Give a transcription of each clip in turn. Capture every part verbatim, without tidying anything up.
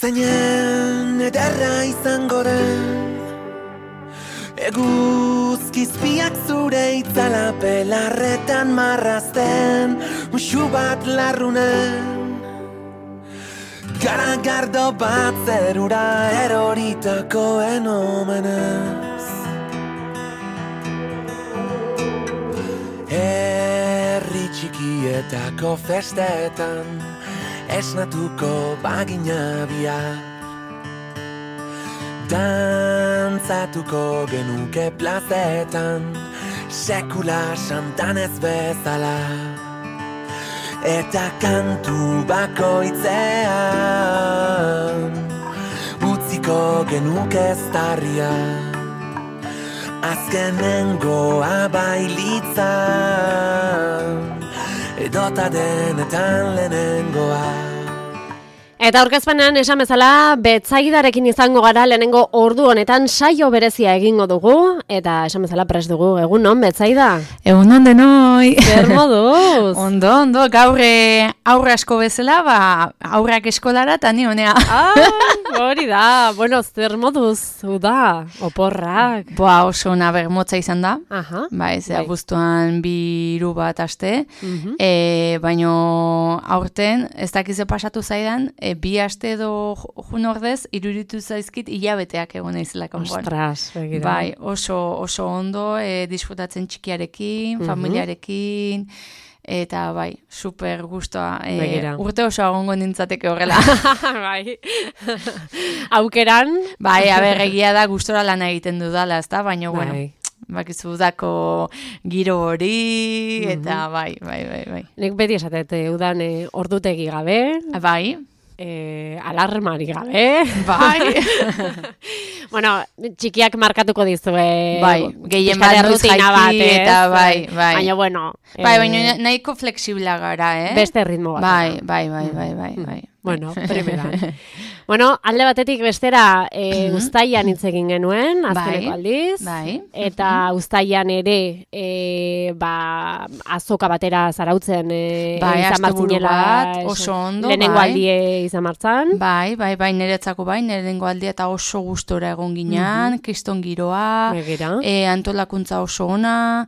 Zeinen ederra izango den Eguzkizpiak zure itzala belarretan marrazten Muxu bat larrunen Garagardo bat zerura eroritakoen omenez Herri txikietako festetan Esnatuko bagina bihar Dantzatuko genuke plazetan Sekula santanez bezala Eta kantu bakoitzean Utziko genuke eztarria Azkenengoa bailitzan Edota denetan lehenengoa Eta aurkezpenean esan bezala Betzaidarekin izango gara lehenengo ordu honetan saio berezia egingo dugu eta esan bezala prest dugu egun on Betzaida. Egun on denoi. Zer moduz? Ondo, ondo, gaur aurre asko bezala, ba, aurrak eskolara eta ni honea. Ah, hori da, bueno, zer moduz, uda, oporrak. Boa, oso ona bermotza izan da. Aha. Ba, ez, abuztuan bi hiru bat aste. Uh-huh. E, baino aurten, ez dakize pasatu zaidan, e, bi aste edo jun ordez, iruritu zaizkit hilabeteak egon naizela kanpoan. Ostras, begira. Bai, oso, oso ondo, e, disfrutatzen txikiarekin, Mhm. familiarekin, eta bai, super gustoa. E, Begira. urte oso agongo nintzateke horrela. Bai. Aukeran. Bai, aber, egia da gustora lana egiten dudala, ezta? Baina, Bai. bueno, bakizu dako giro hori, eta Mhm. bai, bai, bai, bai. Nik beti esatet, udan e, ordutegi gabe, Bai, e, alarmari gabe. bai. Bueno, txikiak markatuko dizue. Bai, gehien pixka bat de noiz rutina bat, jaiki, ez? eta bai, bai. Baina, bueno. Bai, eh, baina nahiko fleksibla gara, eh? Beste ritmo bat. Bai, bai, bai, bai, bai, bai. Bueno, primeran. Bueno, alde batetik bestera e, uztailan hitz egin genuen, azkeneko Bai, aldiz. bai. Eta uztailan ere, e, ba, azoka batera zarautzen e, Bai, izan asteburu martzinela. bat, esan- oso ondo, Lehenengo bai. aldie izan martzan. Bai, bai, bai, niretzako bai, nirengo aldia eta oso gustora egon ginean, kriston giroa, Begira. e, antolakuntza oso ona,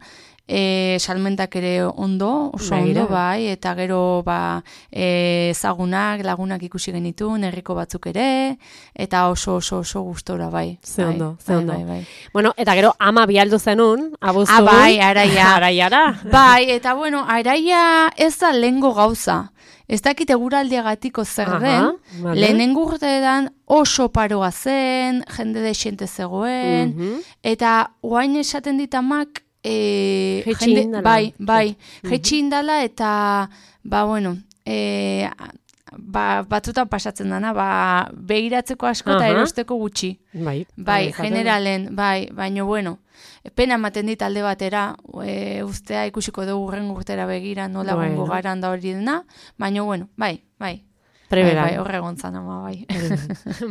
e, salmentak ere ondo, oso Begira. ondo, bai, eta gero ba, e, ezagunak, lagunak ikusi genitu, herriko batzuk ere, eta oso oso oso gustora, bai. Ze bai, ondo, ze bai, ondo. Bai, bai. Bueno, eta gero ama bialdu zenun, abuztu. Ah, bai, araia. Araiara. Bai, eta bueno, araia ez da lehengo gauza. Ez dakit eguraldiagatiko zer Aha, den, vale. lehenengo urteetan oso paroa zen, jende desiente zegoen, Mhm. eta oain esaten ditamak, e, Jaitsi jende, indala. bai, bai, Mhm. jaitsi indala eta, ba, bueno, e, ba, batzutan pasatzen dana, ba, begiratzeko asko eta Aha. erosteko gutxi. Bai, Bai, izaten da. generalen, bai, baina bueno, pena ematen dit alde batera, e, ustea ikusiko dugu urren urtera begira nola Bueno. gongo garan da hori dena, baina bueno, bai, bai. Primeran. Bai, bai, horregontzan ama, bai.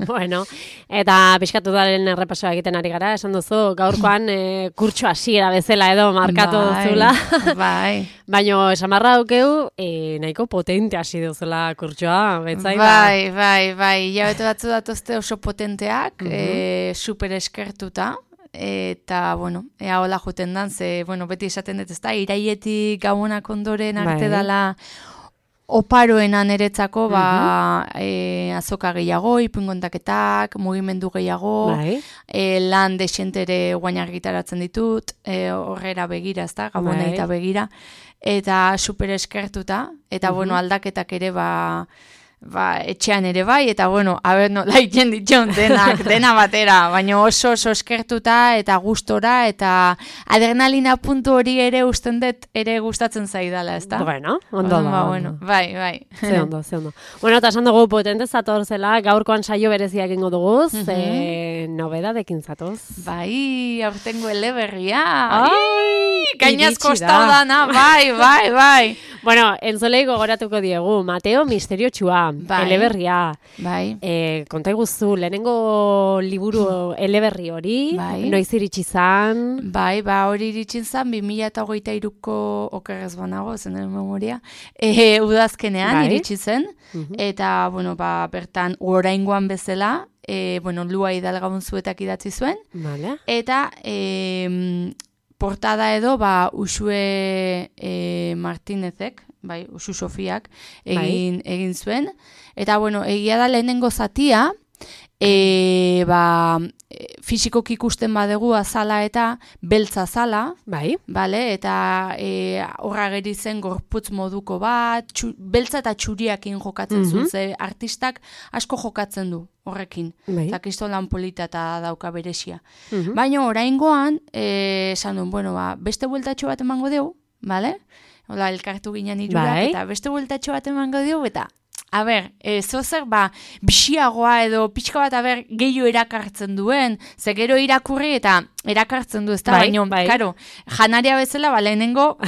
Bueno, eta pixkatu daren errepasoa egiten ari gara, esan duzu, gaurkoan e, kurtso hasiera bezala edo markatu Bai, duzula. Bai. Baina esan barra daukeu, e, nahiko potente hasi duzula kurtsoa, Betzaida. Bai, bai, bai, jabete batzu datozte oso potenteak, e, super eskertuta, eta, bueno, ea hola juten dan, ze, bueno, beti esaten dut, ezta, iraietik gabonak ondoren arte Bai. dala oparoena niretzako, ba, e, azoka gehiago, ipungontaketak, mugimendu gehiago, Bai. e, lan desientere guain argitaratzen ditut, e, horrera begira, ezta, gabona Bai. eta begira, eta super eskertuta, eta, bueno, aldaketak ere, ba, ba, etxean ere bai, eta bueno, haber nola iten ditxon denak, dena batera, baina oso oso eskertuta eta gustora, eta adrenalina puntu hori ere usten dut ere gustatzen zaidala, ezta? Bueno, ondo Orduan, da. ba, ondo. bueno, bai, bai. Ze ondo, ze ondo. Bueno, eta esan dugu potente zatorzela, gaurkoan saio berezia egingo dugu, ze nobedadekin zatoz. Bai, aurtengo eleberria. Ai, Gainaz iritsi da. kostau dana, bai, bai, bai. Bueno, entzolei gogoratuko diegu, Mateo Misteriotsua. Bai. eleberria. Bai. E, konta iguzu, lehenengo liburu eleberri hori, Bai. noiz iritsi zan? Bai, ba, hori iritsin zan, bi mila hogeita hiruko okerrez banago, zen memoria, e, udazkenean Bai. iritsi zen, Mhm. eta, bueno, ba, bertan, oraingoan bezala, e, bueno, Lua Hidalgaun zuetak idatzi zuen, Vale. eta e, portada edo, ba, Uxue e, Martinezek, bai, Uxu Sofiak, egin, egin zuen, eta, bueno, egia da lehenengo zatia, E, ba, fisikoki ikusten badegu azala eta beltza azala, Bai. bale? Eta e, horra geri zen gorputz moduko bat, txu, beltza eta txuriakin jokatzen Mhm. zuen, ze artistak asko jokatzen du horrekin. Bai. Eta kriston lan polita eta dauka beresia. Mhm. Baina oraingoan, e, esan duen, bueno, ba, beste bueltatxo bat emango dugu, bale? Hola, elkartu ginen irurak, Bai. eta beste bueltatxo bat emango dugu, eta a ber, e, zozer, ba, bixiagoa edo pixka bat, a ber, gehiago erakartzen duen, ze gero irakurri eta erakartzen du, ez da, Bai, baino, bai. karo, janaria bezala, ba, lehenengo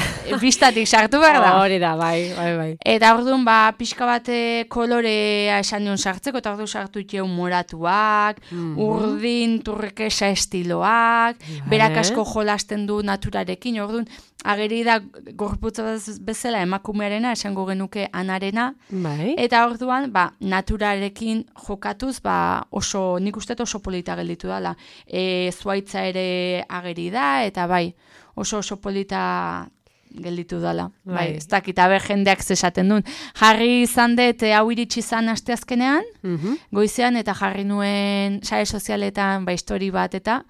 bistatik sartu behar da. Hori da, bai, bai, bai. Eta orduan, ba, pixka bate kolorea esan nion sartzeko, eta orduan sartu itxeun moratuak, Mhm. urdin, turkesa estiloak, Vale. berak asko jolasten du naturarekin, orduan, ageri da gorputza bez- bezala emakumearena, esango genuke anarena, Bai. eta orduan, ba, naturarekin jokatuz, ba, oso, nik uste dut oso polita gelditu dela. E, zuaitza ere ageri da, eta bai, oso oso polita gelditu dela. Bai, Bai. ez dakit, aber jendeak zesaten duen. Jarri izan dut, e, hau iritsi izan asteazkenean, Mhm. goizean, eta jarri nuen sare sozialetan, ba, histori bat, eta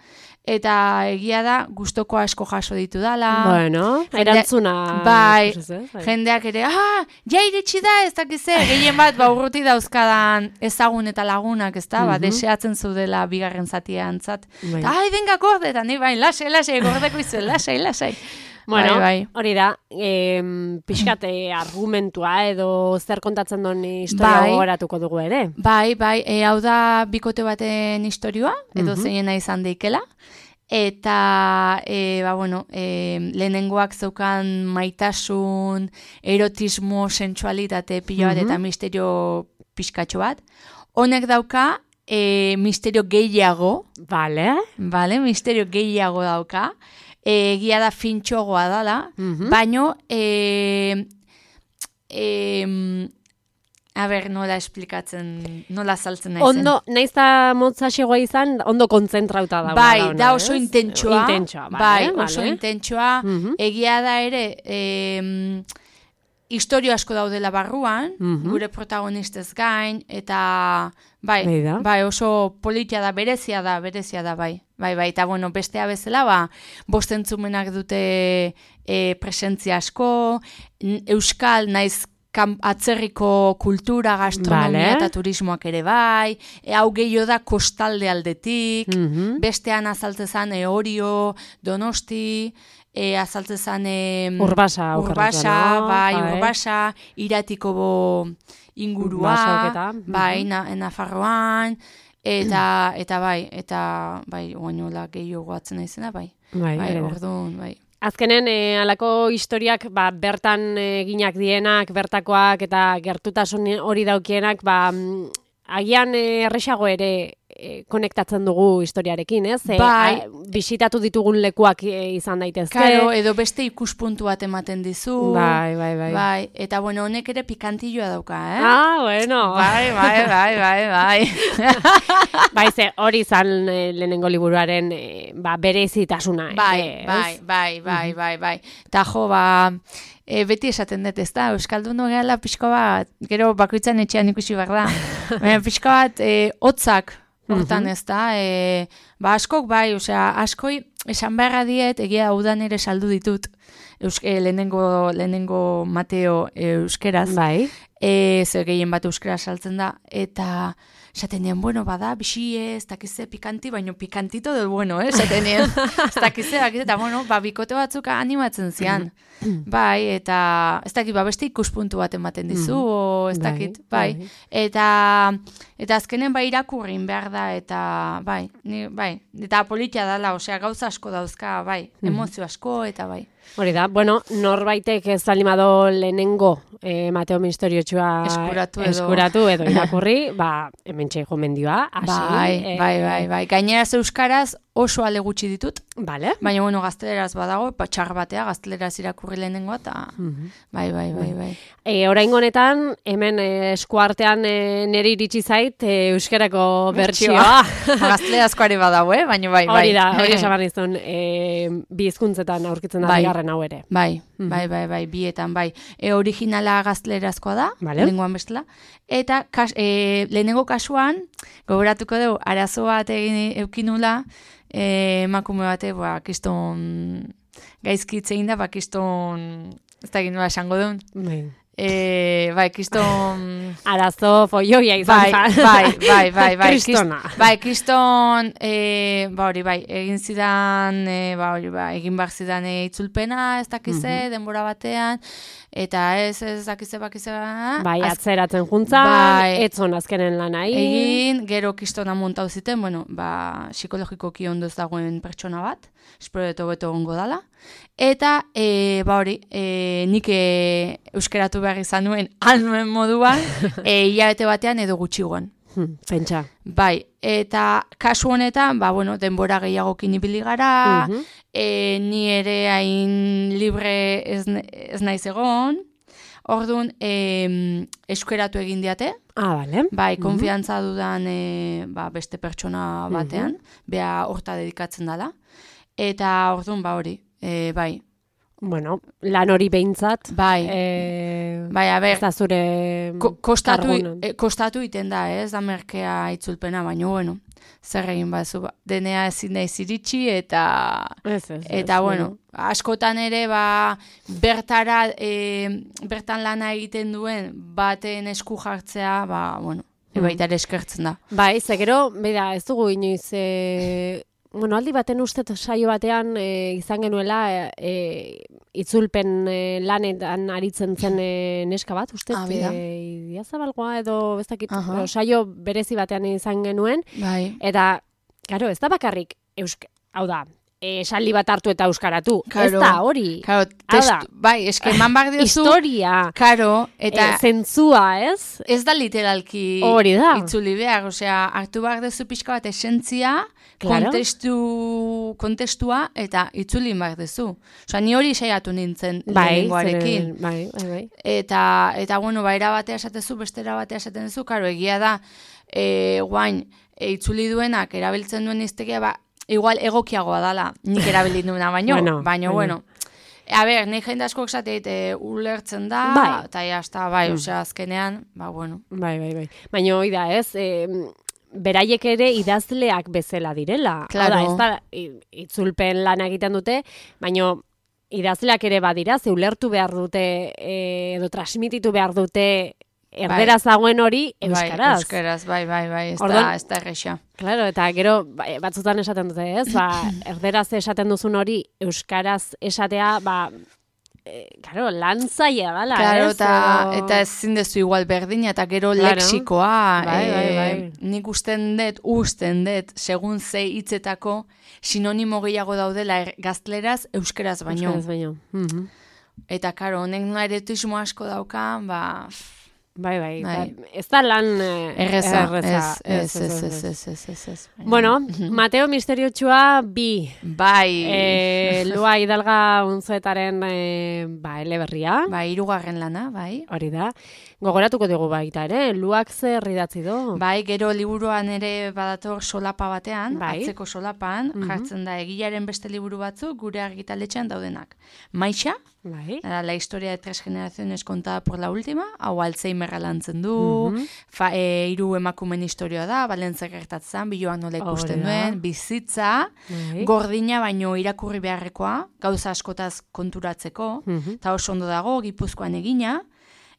eta egia da, gustoko asko jaso ditu dala. Bueno, Jende- erantzuna. Bai, ikusiz, eh? Bai. jendeak ere, ah, ja iritsi da, ez dakize, gehien bat, ba, urruti dauzkadan ezagun eta lagunak, ez da, ba, Mhm. deseatzen zudela bigarren zatia antzat. Bai. Eta, ai, venga, gorde, eta ni, bai, lasai, lasai, gordeko izuen, lasai, lasai. Bueno, bai, bai. hori da, em, pixkate argumentua edo zer kontatzen duen historia Bai. gogoratuko dugu ere. Bai, bai, e, hau da bikote baten istorioa, edo Mhm. zeinena izan deikela. Eta, e, ba, bueno, e, lehenengoak zeukan maitasun, erotismo, sensualitate pila bat Mhm. eta misterio pixkatxo bat. Honek dauka e, misterio gehiago, Vale. vale? Misterio gehiago dauka. E, egia da fintxogoa dala, Mhm. baino, e, e, a ber, nola esplikatzen, nola saltzen naizen. Ondo, naiz da motzaxegoa izan, ondo kontzentrauta da. Bai, da oso intentsua. Intentsua, bai, vale, oso vale. intentsua. Mhm. Egia da ere, eh, historio asko daudela barruan, Mhm. gure protagonistez gain, eta bai, Bai da. bai, oso politia da, berezia da, berezia da, bai. Bai, bai, eta bueno, bestea bezala, ba, bost entzumenak dute e, presentzia asko, n- euskal naiz kam- atzerriko kultura, gastronomia Vale. eta turismoak ere bai, e, hau gehiago da kostalde aldetik, Mhm. bestean azaltzezan e, Orio, Donosti, e, azaltzezan e, Urbasa. Urbasa, okerrezan, no? bai, Urbasa, Iratiko bo ingurua, Basoketa, mhm. bai, na, Nafarroan, eta, eta bai, eta bai, oainola gehiago goatzen naizena, bai. Bai, Bai, ere da. orduan, bai. Azkenen, e, alako historiak, ba, bertan eginak dienak, bertakoak eta gertutasun hori daukienak, ba, mm, agian e, erresago ere e, konektatzen dugu historiarekin, ez? E, Bai. a- bisitatu ditugun lekuak e, izan daitezke. Karo, edo beste ikuspuntu bat ematen dizu. Bai, bai, bai. Bai, eta bueno, honek ere pikantilloa dauka, eh? Ah, bueno. Bai, bai, bai, bai, bai. Bai, ze hori izan e, lehenengo liburuaren e, ba, berezitasuna. Bai, ez? bai, bai, bai, bai, bai. Eta jo, ba, e, beti esaten dut, ez da, Euskaldun gehala pixko bat, gero bakoitzan etxean ikusi behar da. Baina pixko bat, e, hotzak, hortan ez da, e, ba, askok bai, osea, askoi, esan beharra diet, egia udan ere saldu ditut, Eusk e, lehenengo, lehenengo Mateo e, euskeraz, Bai. e, zer gehien bat euskera saltzen da, eta esaten nien, bueno, bada, bisie, ez dakize pikanti, baino pikantito del bueno, eh, esaten nien, ez dakize, dakize, eta bueno, ba, bikote batzuk animatzen zian, bai, eta ez dakit, ba, beste ikuspuntu bat ematen dizu, o ez Bai, dakit, bai, bai. eta, eta azkenen bai irakurrin behar da, eta, bai, ni, bai, eta politia dala, osea, gauza asko dauzka, bai, emozio asko, eta bai. Hori da, bueno, norbaitek ez alimado lehenengo eh, Mateo Misterio misteriotsua eskuratu edo, eskuratu edo irakurri, ba, hementxe gomendioa, hasi. Bai, eh, bai, bai, bai. Gaineraz euskaraz oso ale gutxi ditut. Vale. Baina, bueno, gazteleraz badago, patxar batea, gazteleraz irakurri lehenengoa, eta Mhm. bai, bai, bai, bai. E, oraingo honetan, hemen e, eskuartean e, niri iritsi zait e, euskarako bertsioa. Gaztelerazko are badago, eh? Baina bai, bai. Hori da, hori esan behar nizun, e, bi hizkuntzetan aurkitzen da Bai. bigarren hau ere. Bai, Mhm. bai, bai, bai, bietan, bai. E, originala gaztelerazkoa da, Vale. lenguan bestela. Eta kas, e, lehenengo kasuan, gogoratuko dugu, arazo bat egin eukinula, e, emakume bate, ba, kiston gaizkitzein da, ba, kiston, ez da egin nola esango duen. Bai. E, bai, kiston... Arazo foioia izan Bai, zen. bai, bai, bai, bai. Kristona. Kist- Bai, kiston, e, ba hori, bai, egin zidan, e, ba hori, ba, egin behar zidan e, itzulpena, ez dakize, denbora batean, eta ez, ez dakize, bakize, ba, Bai, az- atzeratzen juntzan, Bai. etzon azkenen lanai. egin, gero kistona montau ziten, bueno, ba, psikologikoki ondo ez dagoen pertsona bat, espero dut hobeto egongo dala. Eta, e, ba hori, e, nik e, euskeratu behar izan nuen, alnuen moduan, e, hilabete batean edo gutxigoan. Hmm, pentsa. Bai, eta kasu honetan, ba, bueno, denbora gehiagokin ibili gara, Mhm. e, ni ere hain libre ez, ne- ez naiz egon, orduan, e, euskeratu egin diate, Ah, bale. bai, konfiantza dudan e, ba, beste pertsona batean, bea horta dedikatzen dela, eta orduan, ba hori, e, bai, Bueno, lan hori behintzat. bai, Eh, bai, a ber, ez da zure Ko, kostatu, kargunan. e, kostatu iten da, ez da merkea itzulpena, baina, bueno, zer egin bazu, ba, denea ezin naiz iritsi, eta, Ez, ez, eta, ez, bueno, askotan ere, ba, bertara, e, bertan lana egiten duen, baten esku jartzea, ba, bueno, Mm. baita ere eskertzen da. Bai, ze gero, bera, ez dugu inoiz, e, bueno, aldi baten uste saio batean e, izan genuela e, itzulpen e, lanetan aritzen zen e, neska bat, uste, Ah, bida. e, Idiazabalgoa edo, ez dakit, Aha. edo saio berezi batean izan genuen, Bai, eta, claro, ez da bakarrik, eusk, hau da, e, esaldi bat hartu eta euskaratu, ez Karo. da hori, karo, Hau da. testu, bai, eske eman behar diozu, historia, karo, eta... e, zentzua, ez? Ez da literalki Hori da. itzuli behar, osea, hartu behar dezu pixka bat esentzia, Claro. kontestu, kontestua, eta itzuli behar dezu. Osea, ni hori saiatu nintzen Bai, lehenengoarekin. zeren- bai, bai, bai. Eta, eta bueno, ba, era batea esatezu, beste era batea esaten duzu, karo, egia da, e, guain, e, itzuli duenak, erabiltzen duen iztegia, ba, igual egokiagoa dala, nik erabili duena, baino, Bueno, baino, baino. bueno. A ber, nahi jende askok esateit, e, ulertzen da, Bai. eta jazta, bai, Mm. osea, azkenean, ba, bueno. Bai, bai, bai. Baina hoi da, ez, e, beraiek ere idazleak bezala direla. Claro. Hau da, ez da, i- itzulpen lan egiten dute, baina idazleak ere badira, ze ulertu behar dute, e, edo transmititu behar dute erderaz dagoen hori euskaraz. Bai, euskaraz, bai, bai, bai, ez Orduan- da, ez da erresa. Claro, eta gero ba, batzutan esaten dute, ez? Ba, erderaz esaten duzun hori euskaraz esatea, ba, e, claro, lan zaila dala, Claro, ez? eta, Edo- eta ezin dezu igual berdina, eta gero Claro. lexikoa. Bai, bai, eh, bai. Nik usten dut, usten dut, segun ze hitzetako sinonimo gehiago daudela er, gazteleraz, euskeraz baino. Euskaraz baino. Mhm. Eta, karo, honek nola eretismo asko daukan, ba, pff, Bai, bai, Bai. ba, ez da lan eh, erreza, erreza. ez, ez, ez, ez, ez, ez, ez, ez. Bueno, Mateo Misteriotsua bi. Bai, E, Lua Hidalga unzuetaren e, ba, eleberria. bai, hirugarren lana, bai. Hori da. Gogoratuko dugu baita ere, Luak zer idatzi du. Bai, gero liburuan ere badator solapa batean, Bai. atzeko solapan, Mhm. jartzen da egilaren beste liburu batzuk gure argitaletxean daudenak. Maixa, Bai. la historia de tres generaciones contada por la última, hau Alzheimerra lantzen du, Mhm. fa, e, hiru emakumen historia da, Balentzia gertatzen, biloan nola ikusten Hori da. duen, bizitza, Bai. gordina baino irakurri beharrekoa, gauza askotaz konturatzeko, Mhm. eta oso ondo dago, Gipuzkoan egina,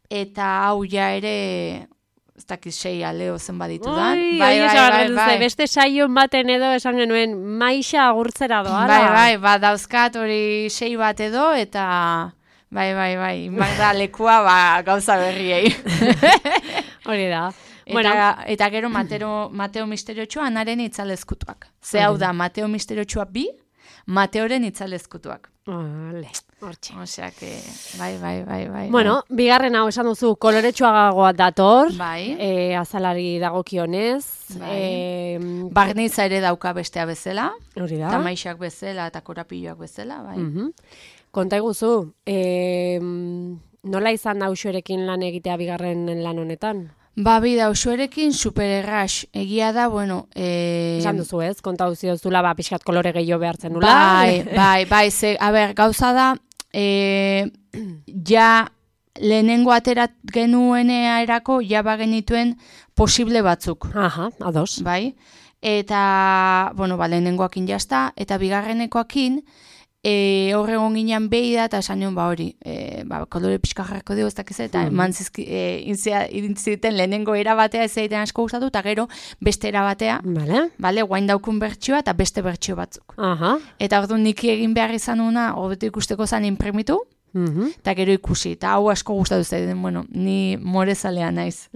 eta hau ja ere, ez dakit sei aleo zen baditudan. Oi, bai, bai, bai, beste saio baten edo esan genuen maixa agurtzera doala. Bai, bai, ba, dauzkat hori sei bat edo, eta bai, bai, bai, imak da lekua ba, gauza berriei. Hori da. Eta, Bueno, eta gero Mateo, Mateo Misteriotsua anaren itzalezkutuak. Ze hau da, Mateo Misteriotsua bi, Mateoren itzalezkutuak. vale. Hortxe. Osea, que, bai, bai, bai, bai. Bueno, bigarren hau esan duzu, koloretsuagagoa dator, bai. e, azalari dagokionez. Bai. E, Barnitza ere dauka bestea bezala, hori da. tamaixak bezala eta korapilloak bezala, bai. Mhm. Konta iguzu, e, nola izan da Uxuerekin lan egitea bigarren lan honetan? Ba, bida, Uxuerekin super erras. Egia da, bueno... E... Esan duzu ez, konta duzi duzula, ba, pixkat kolore gehiago behartzen nula. Bai, bai, bai, ze, a ber, gauza da, e, ja lehenengo aterat genuenea erako, ja bagenituen posible batzuk. Aha, ados. Bai, eta, bueno, ba, lehenengoakin jazta, eta bigarrenekoakin, E, horre egon ginean behi da, eta esan nion, ba hori, e, ba, kolore pixka jarrako dugu, ez dakiz, eta Mhm. eman zizki, e, intziten lehenengo erabatea ez egiten asko gustatu, eta gero beste erabatea, Vale. bale, guain daukun bertsioa eta beste bertsio batzuk. Aha. Eta orduan niki egin behar izan una, hobeto ikusteko zan imprimitu, Mhm. eta gero ikusi, eta hau asko gustatu zaiden, bueno, ni morezalea naiz.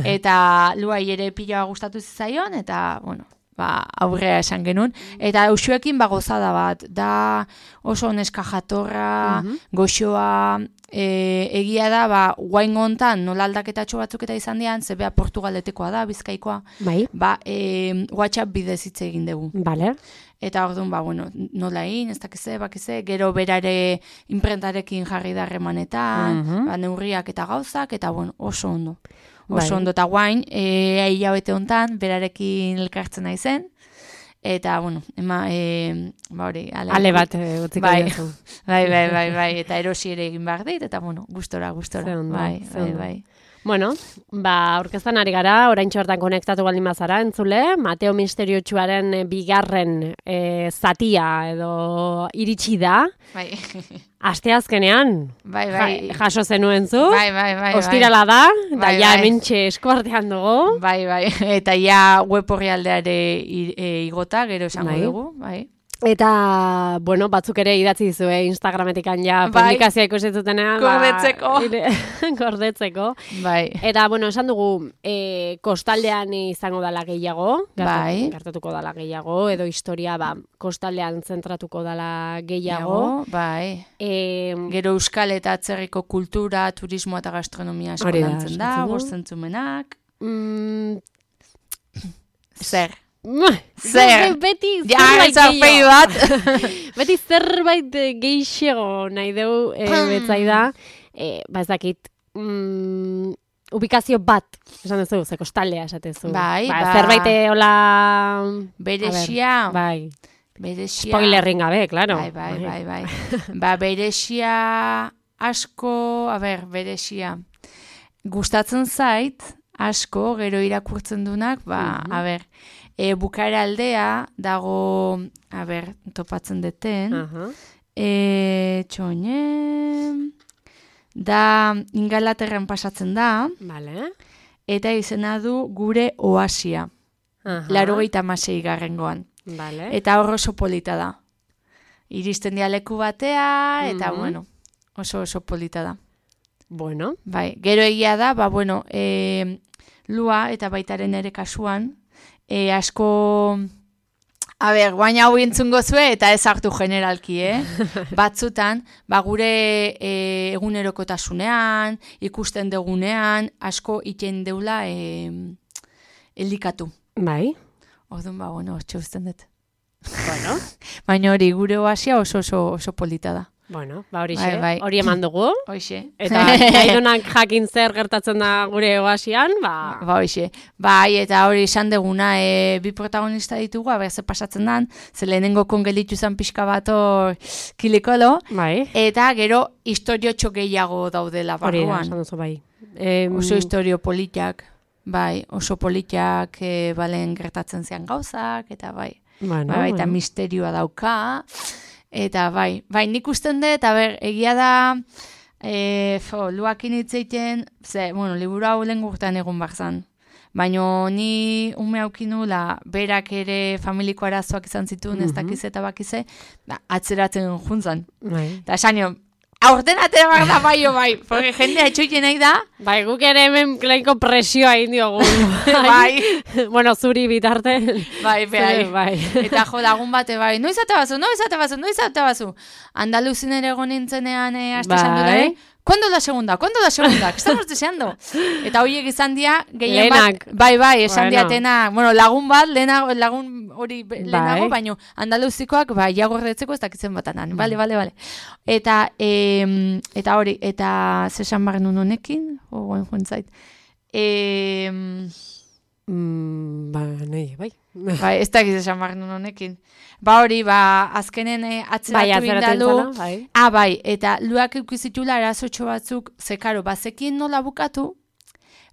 Eta luai ere pila gustatu zizaion, eta, bueno, ba, aurrea esan genuen. Eta Uxuekin ba gozada bat, da oso neska jatorra, Mhm. goxoa, e, egia da, ba, guain gontan nola aldaketatxo batzuk eta izan dian, zebea Portugaletekoa da, Bizkaikoa, Bai. ba, e, WhatsApp bidez hitz egin dugu. Vale. Eta orduan, ba, bueno, nola egin, ez dakize, bakize, gero berare imprentarekin jarri da harremanetan, Mhm. ba, neurriak eta gauzak, eta bueno, oso ondo. Oso Bai. ondo, eta guain, e, hilabete hontan, berarekin elkartzen naizen, eta, bueno, ema, e, ba hori, ale, Ale bat e, utziko Bai. diozu. bai, bai, bai, bai, eta erosi ere egin behar dit, eta, bueno, gustora, gustora, Ze ondo, bai, ze bai, ondo. bai. Bueno, ba, aurkeztan ari gara, oraintxo hortan konektatu baldin bazara, entzule, Mateo Misteriotsuaren eh, bigarren eh, zatia edo iritsi da, Bai, asteazkenean, bai, bai, ja, jaso zenuen zu, bai, bai, bai, ostirala da, eta Bai, ja bai. hementxe eskuartean dugu. bai, bai, eta ja web orrialdeare i- e, igota, gero esango Bai. dugu, bai. Eta, bueno, batzuk ere idatzi dizue Instagrametikan ja Bai. publikazioa ikusi zutenean. Gordetzeko. Ba, ire- gordetzeko. Bai, Eta, bueno, esan dugu, e, kostaldean izango dala gehiago, gertatu- Bai. gertatuko dala gehiago, edo historia, ba, kostaldean zentratuko dala gehiago. bai. E, Gero euskal eta atzerriko kultura, turismo eta gastronomia asko Hori da, lantzen da, eskatzen du. bostentzumenak. mm, Zer? Zer? Beti Ja, zerbait etzarpei gehiago. bat. Beti zerbait eh, gehiago nahi dugu e, betzai da. E, ba ez dakit, mm, ubikazio bat, esan duzu, ze kostaldea esatezu. Bai, ba, ba. Zerbait eh, hola... Berexia, Bai, berexia. spoilerrin gabe, claro. Bai, bai, bai, bai. Ba, berexia asko, a ber, berexia. Gustatzen zait, asko, gero irakurtzen dunak, ba, Mhm. a ber, e, bukaera aldea dago, a ber, topatzen deten, Aha. e, txoine, da Ingalaterran pasatzen da, Vale. eta izena du gure oasia, Aha. laurogeita hamasei garrengoan. Vale. Eta hor oso polita da. Iristen dia leku batea, eta Mhm. bueno, oso oso polita da. Bueno. Bai, gero egia da, ba, bueno, e, lua eta baitaren ere kasuan, e, asko, a ber, guaina hau entzungo zue, eta ez hartu generalki, eh? Batzutan, ba, gure e, egunerokotasunean, ikusten degunean, asko iten deula e, elikatu. Bai. Orduan, ba, bueno, hortxe usten dut. Bueno. Baina hori, gure oasia oso oso, oso polita da. Bueno, ba hori Bai, bai. hori eman dugu. Hoxe. Eta nahidunak jakin zer gertatzen da gure oasian, ba... Ba, hoxe. Bai, eta hori esan deguna, e, bi protagonista ditugu, aber ze pasatzen dan, ze lehenengo kongelitu zan pixka bat hor kilikolo, Bai. eta gero historiotxo gehiago daudela Hori da, barruan. esan duzu bai. Em, Oso historio politak, bai, oso politak e, balen gertatzen zian gauzak, eta bai. bueno, bai, eta bueno. misterioa dauka, eta bai, bai, nik usten dut, a ber, egia da, e, fo, luakin hitzeiten, ze, bueno, liburu hau lehen gurtan egun barzan. Baina ni ume aukinula, berak ere familiko arazoak izan zituen, ez Mhm. dakiz eta bakize, da, atzeratzen juntzan. Bai. Eta esan nio, Aurtenatera behar da bai, bai, porque jendea etxoiten nahi da. Bai, guk ere hemen klaiko presioa indiogu. Bai. Bueno, zuri bitarte. Bai, bai. bai. Eta jo, lagun bate bai, noiz ate bazu, noiz ate bazu, noiz ate bazu. Andaluzin ere egon nintzenean eh, aste Bai. esan dut, ¿cuándo la segunda? ¿Cuándo la segunda? ¿Qué estamos deseando? Eta hoiek izan dia, gehien bat, Lehenak. bai, bai, esan Bueno. diatena, bueno, lagun bat, lehenago, lagun hori be- lehenago, baino, andaluzikoak, bai, jagordetzeko ez dakitzen batanan, bale, bale, bale. Eta, em, eta hori, eta zesan barren honekin, ogoen joan zait, em, Mm, ba, nahi, bai. bai, ez dakiz esan barren honekin. Ba hori, ba, azkenen eh, Bai, atzeratu atzeratu indalu, intzala, bai. ah, bai, eta luak eukizitula arazotxo batzuk, zekaro, bazekien nola bukatu,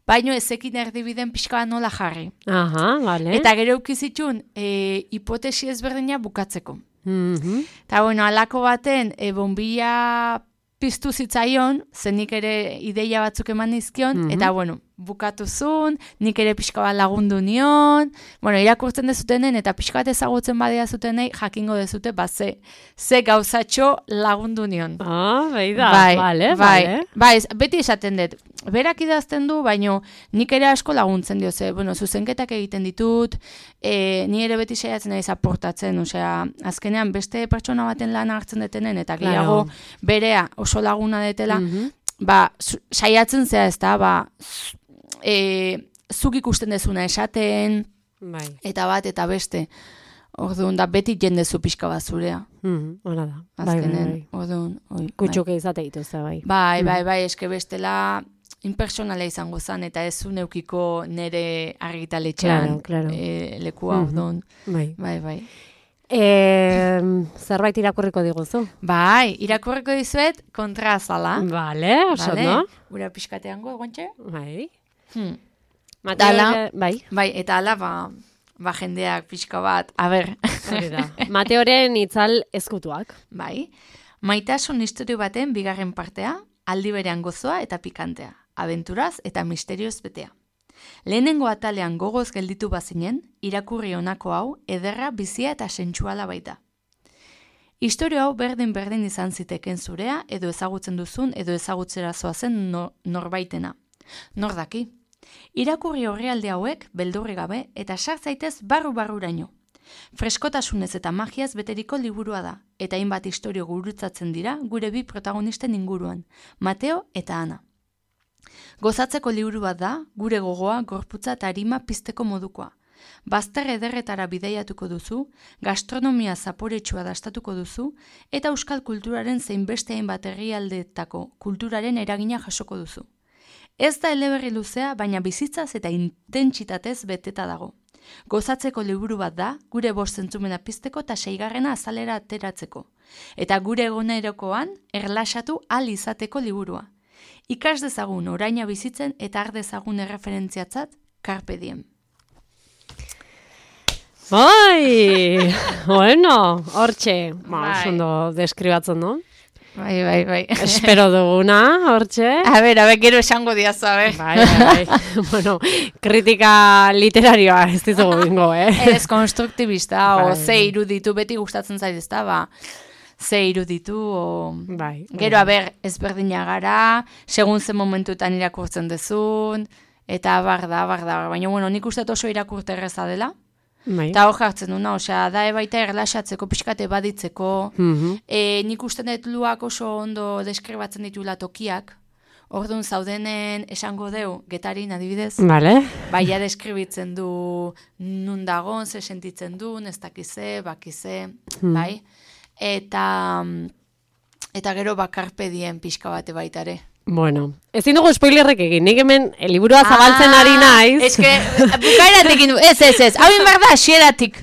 baino ezekin erdibiden pixka bat nola jarri. Aha, vale. Eta gero eukizitun, e, hipotesi ezberdina bukatzeko. Mhm. Eta bueno, alako baten, e, bombilla piztu zitzaion, zenik ere ideia batzuk eman nizkion, Mhm. eta bueno, bukatu zuen, nik ere pixka bat lagundu nion, bueno, irakurtzen dezutenen, eta pixka bat ezagutzen badia zutenei, jakingo dezute, ba, ze, ze gauzatxo lagundu nion. Ah, bai da, bai, vale, bai, vale. bai, ez- beti esaten dut, berak idazten du, baino nik ere asko laguntzen dio, ze, bueno, zuzenketak egiten ditut, e, ni ere beti saiatzen naiz aportatzen, osea, azkenean beste pertsona baten lan hartzen detenen, eta Claro. gehiago berea oso laguna detela, Mhm. ba, zu- saiatzen zea ez da, ba, z- e, zuk ikusten dezuna esaten, Bai. eta bat, eta beste, orduan, da beti jendezu pixka bat zurea, Mhm, Hora da. Bai, bai, azkenen, bai. orduan, oi, bai. Kutxuke izate dituzte, bai. Bai, bai, bai, eske bestela impersonala izango zen, eta ez zu neukiko nere argitaletxean Claro, claro. eh, lekua, Mhm. orduan. Bai. Bai, bai. E, zerbait irakurriko diguzu? Bai, irakurriko dizuet kontraazala. Vale, oso, Vale? no? Ura pixkateango, egontxe? Bai. Hmm. Mateo, Dala. bai. Bai, eta ala, ba, ba jendeak pixka bat, a ber. Hori da. Mateoren itzal ezkutuak. Bai, maitasun istorio baten bigarren partea, aldi berean gozoa eta pikantea, abenturaz eta misterioz betea. Lehenengo atalean gogoz gelditu bazinen, irakurri honako hau, ederra, bizia eta sentsuala baita. Istorio hau berdin-berdin izan ziteken zurea, edo ezagutzen duzun, edo ezagutzera zoazen no, norbaitena. Nor daki? Irakurri orrialde hauek, beldurri gabe, eta sar zaitez barru-barruraino. Freskotasunez eta magiaz beteriko liburua da, eta hainbat istorio gurutzatzen dira gure bi protagonisten inguruan, Mateo eta Ana. Gozatzeko liburu bat da, gure gogoa, gorputza eta arima pizteko modukoa. Bazter ederretara bidaiatuko duzu, gastronomia zaporetsua dastatuko duzu, eta euskal kulturaren zein beste hainbat herrialdeetako kulturaren eragina jasoko duzu. Ez da eleberri luzea, baina bizitzaz eta intentsitatez beteta dago. Gozatzeko liburu bat da, gure bost zentzumena pizteko eta seigarrena azalera ateratzeko. Eta gure egunerokoan erlaxatu ahal izateko liburua. Ikas dezagun oraina bizitzen eta har dezagun erreferentziatzat Carpe Diem. Bai, bueno, hortxe, ba, Bai. oso ondo deskribatzen, no? Bai, bai, bai. Espero duguna, hortxe. A ber, a ber, gero esango diazu, a ber. Bai, bai, bai. Bueno, kritika literarioa ez dizugu bingo, eh? Ez konstruktibista, o Bai. ze iruditu, beti gustatzen zait ez da, ba, ze iruditu, o... Bai. Gero, a ber, ezberdina gara, segun ze momentuetan irakurtzen dezun, eta abar da, abar da, baina, bueno, nik uste dut oso irakurte erreza dela, Bai. eta hor jartzen duna, osea, da ebaita erlaxatzeko, pixkate baditzeko, Mhm. e, nik uste dut luak oso ondo deskribatzen ditula tokiak, orduan zaudenen esango deu, Getarin adibidez, Vale. baia deskribitzen du nun dagon, ze sentitzen duen, ez dakize, bakize, bai, eta, eta gero bakarpe dien pixka bate baitare. Bueno, ezin dugu spoilerrek egin, nik hemen eh, liburua zabaltzen ari naiz. Ez que, bukaeratik du, ez, ez, ez, hau behar da, asieratik.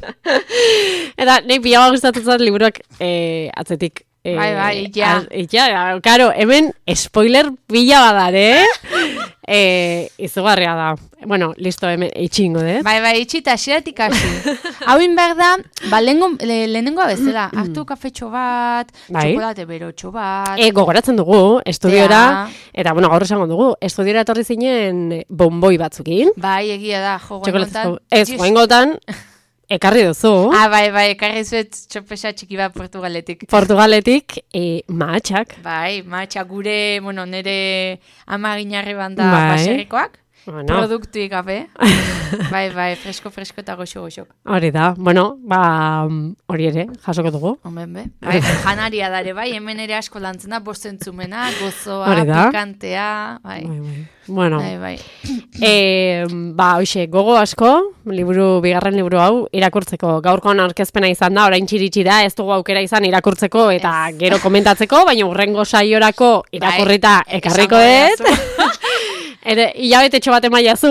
Eta nahi pila gustatzen zait liburuak eh, atzetik. Eh, Bai, bai, ja. az- ja, karo, hemen spoiler pila badare, eh, izugarria da. Bueno, listo, hemen itxingo, dut. Bai, bai, itxita, asieratik hasi. Hau behar da, ba, lehengo, le, lehenengoa bezala, hartu kafetxo bat, Bai. txokolate berotxo bat, E, gogoratzen dugu, estudiora, Ja. eta, bueno, gaur esango dugu, estudiora etorri zinen bomboi batzukin. bai, egia da, jo, Txokolatezko, goengotan, ez, goengotan, ekarri duzu. Ah, bai, bai, ekarri zuet txopesa txiki bat Portugaletik. Portugaletik, e, mahatxak. Bai, mahatxak gure, bueno, nire amaginarri banda Bai. baserrikoak. Bueno. Produktuik gabe. Bai, bai, fresko, fresko eta goxo-goxok. Hori da, bueno, ba, hori ere, jasoko dugu. Omen be. Bai, janaria dare, bai, hemen ere asko lantzen da, bostentzumena, gozoa, Hori da. pikantea, bai. Bai, bai. Bueno, Bai, bai. e, ba, hoxe, gogo asko, liburu, bigarren liburu hau, irakurtzeko. Gaurkoan aurkezpena izan da, orain txiritsi da, ez dugu aukera izan irakurtzeko eta Ez. gero komentatzeko, baina urrengo saiorako irakurrita Bai, ekarriko esango dut. Ere, hilabetetxo bat emaiazu,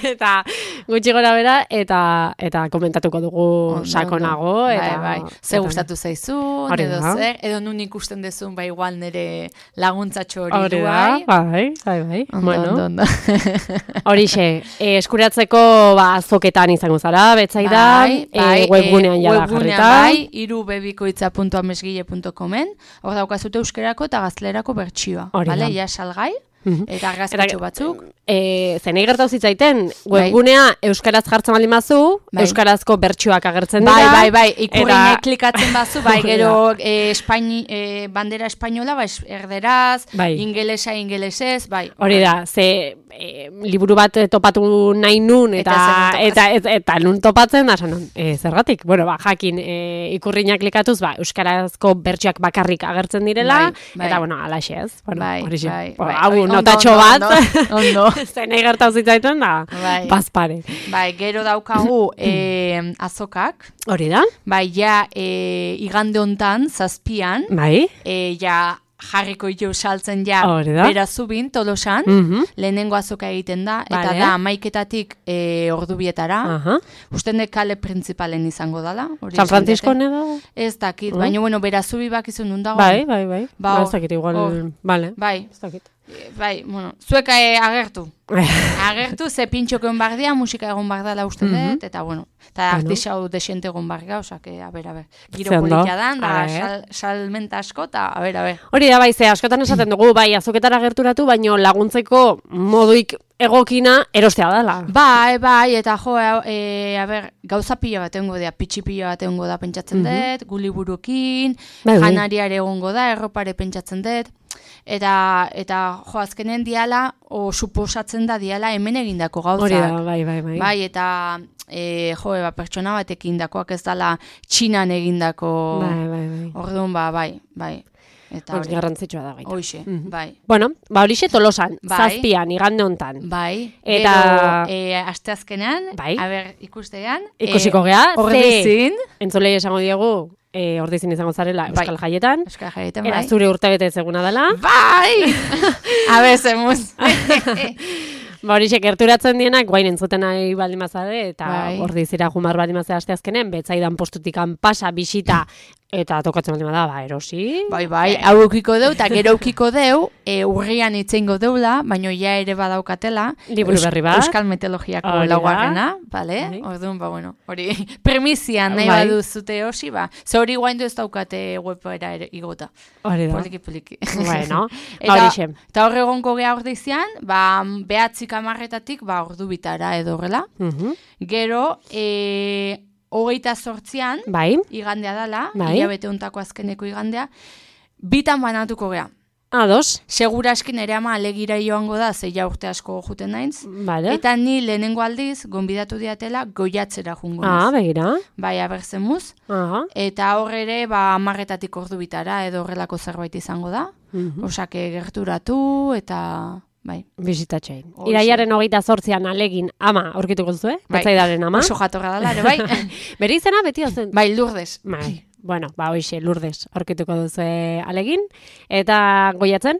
eta gutxi gora bera, eta, eta komentatuko dugu Ondo, sakonago. ondo. Eta, bai, bai. Ze eta- gustatu zaizun, Hori edo da. zer, edo nun ikusten dezun, bai, igual nire laguntzatxo hori Hori du, da, bai. bai, bai, bai. Ondo, Bueno, ondo, ondo. horixe, e, eskuratzeko ba, azoketan izango zara, betzaida, Bai, bai, e, webgunean eh, jada webgunean jarrita. bai, irubebikoitza puntu amesgile puntu comen, hor daukazute euskerako eta gaztelerako bertsioa, Hori bale, da. ja salgai, Mhm. eta argazkitxo batzuk. E, zenei gertau zitzaiten, webgunea euskaraz jartzen baldin bazu, Bai. euskarazko bertsioak agertzen dira. Bai, bai, bai, ikurriñe eta- klikatzen bazu, bai, Hori gero eh, Espaini, eh, bandera espainola, bai, erderaz, Bai. ingelesa, ingelesez, bai. Hori da, ze e, liburu bat eh, topatu nahi nun, eta Eta eta, zer eta, eta, nun topatzen da, esan nun, e, zergatik? Bueno, ba, jakin, e, ikurriña klikatuz, ba, euskarazko bertsioak bakarrik agertzen direla, Bai, bai. eta, bueno, alaxe ez. Bueno, Bai, horixe. bai, Bueno, bai. hau, Oi, ondo, notatxo ondo, bat, ondo, ondo. zenei gertau zitzaiten da, Bai. bazpare. Bai, gero daukagu eh, azokak, Hori da? bai, ja, eh, igande hontan, zazpian, Bai? e, ja jarriko jo saltzen ja Hori da. berazubin, tolosan, Mhm. lehenengo azoka egiten da, eta Vale. da amaiketatik e, ordubietara, Aha. usten de kale printzipalen izango dala. hori San esan Francisco dute. edo? Ez dakit, Mm. baina bueno, berazubi bakizun nun dago. Bai, bai, bai. Ba, Ba, hor- ez dakit igual, hor. vale. Bai, Ez dakit. e, bai, bueno, zuek e, agertu. Agertu, ze pintxoko egon bardia, musika egon bardala uste Mhm. dut, eta bueno, eta Bueno. artisau desente egon barga, osake, a ber, a ber. Giro Ze ondo. politia dan, da, A ber. sal, salmenta asko, eta a ber, a ber. Hori da, bai, ze askotan esaten dugu, bai, azoketara gerturatu, baino laguntzeko moduik egokina erostea dela. Bai, bai, eta jo, e, a ber, gauza pila bat egongo da, pitxi pila bat egongo da pentsatzen dut, gu liburukin, Bai, bai. janariare egongo da, erropare pentsatzen dut, eta, eta jo, azkenen diala, o suposatzen da diala hemen egindako gauzak. Hori da, bai, bai, bai. Bai, eta e, jo, eba, pertsona batekin dakoak ez dala txinan egindako, Bai, bai, bai. orduan, ba, bai, bai. Eta Hori hori, garrantzitsua da gaita. hoxe, Mhm. bai. Bueno, ba horixe tolosan, Bai. zazpian, igande hontan. Bai, Eta- gero, e, asteazkenean, Bai. a ber, ikustean, Ikusiko gea, ze ordizin, entzulei esango diegu, e, ordizin izango zarela Euskal Bai. Jaietan, Euskal Jaietan, era bai. zure urtebete eguna dela. Bai! A ber, zemuz. Ba horixe, gerturatzen dienak, guain entzuten nahi baldin bazade, eta Bai. ordizira jumar baldin bazade asteazkenen, betzaidan postutikan pasa, bisita, eta tokatzen baldin bada, ba, erosi. Bai, bai, hau eukiko deu, eta gero eukiko deu, e, urrian itzeingo deula, baino ja ere badaukatela. Liburu Eus- berri bat. Euskal Meteologiako Hori da. laugarrena, bale? Bai. Orduan, ba, bueno, hori, premizian nahi Bai. baduzute hosi, ba. Ze hori guaindu ez daukate webera ere igota. Hori da. Poliki, poliki. Bueno, ba Eta, horixe. eta hor egonko geha ordizian, ba, behatzik amarretatik, ba, ordu bitara edo horrela. Mhm. Gero, e, hogeita sortzian, Bai, igandea dala, Bai. hilabete hontako azkeneko igandea, bitan banatuko gea. ados, Segura eskin ere ama alegira joango da, zeia urte asko juten naiz. bale. Eta ni lehenengo aldiz, gonbidatu diatela, goiatzera jungo Ah, naiz. begira. Bai, abertzemuz. Aha. Eta hor ere, ba, amarretatik ordu bitara, edo horrelako zerbait izango da. Mhm. Osake gerturatu, eta... Bai. Bisitatxein. Hoxe. Iraiaren hogeita zortzian alegin ama aurkituko duzu, eh? Bai. Betzaidaren ama. Oso jatorra dela, ere, bai. Bere izena beti zen. Bai, Lourdes. Bai. Bueno, ba hoixe Lourdes aurkituko duzu alegin. Eta goiatzen?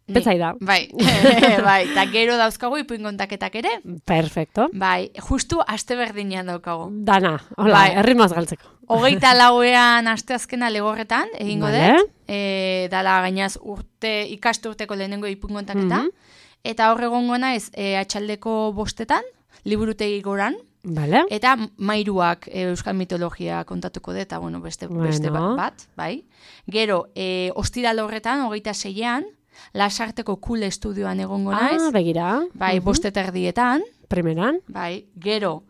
Ni. Betzaida. Bai, bai. Eta gero dauzkagu ipuin kontaketak ere. Perfecto. Bai, justu aste berdinean daukagu. Dana, hola, Bai. erritmoaz galtzeko. Hogeita lauean asteazkena legorretan, egingo Vale. dut. E, dala gainaz urte, ikaste urteko lehenengo ipuin kontaketa. Mhm. Eta hor egongo naiz e, atxaldeko bostetan, liburutegi goran. Vale. Eta mairuak e, euskal mitologia kontatuko dut, eta bueno, beste, beste Bueno. bat, bai. Gero, e, ostiral horretan, hogeita seian, Lasarteko Kule Estudioan egongo naiz. Ah, begira. Bai, Mhm. boste terdietan. Primeran. Bai, gero,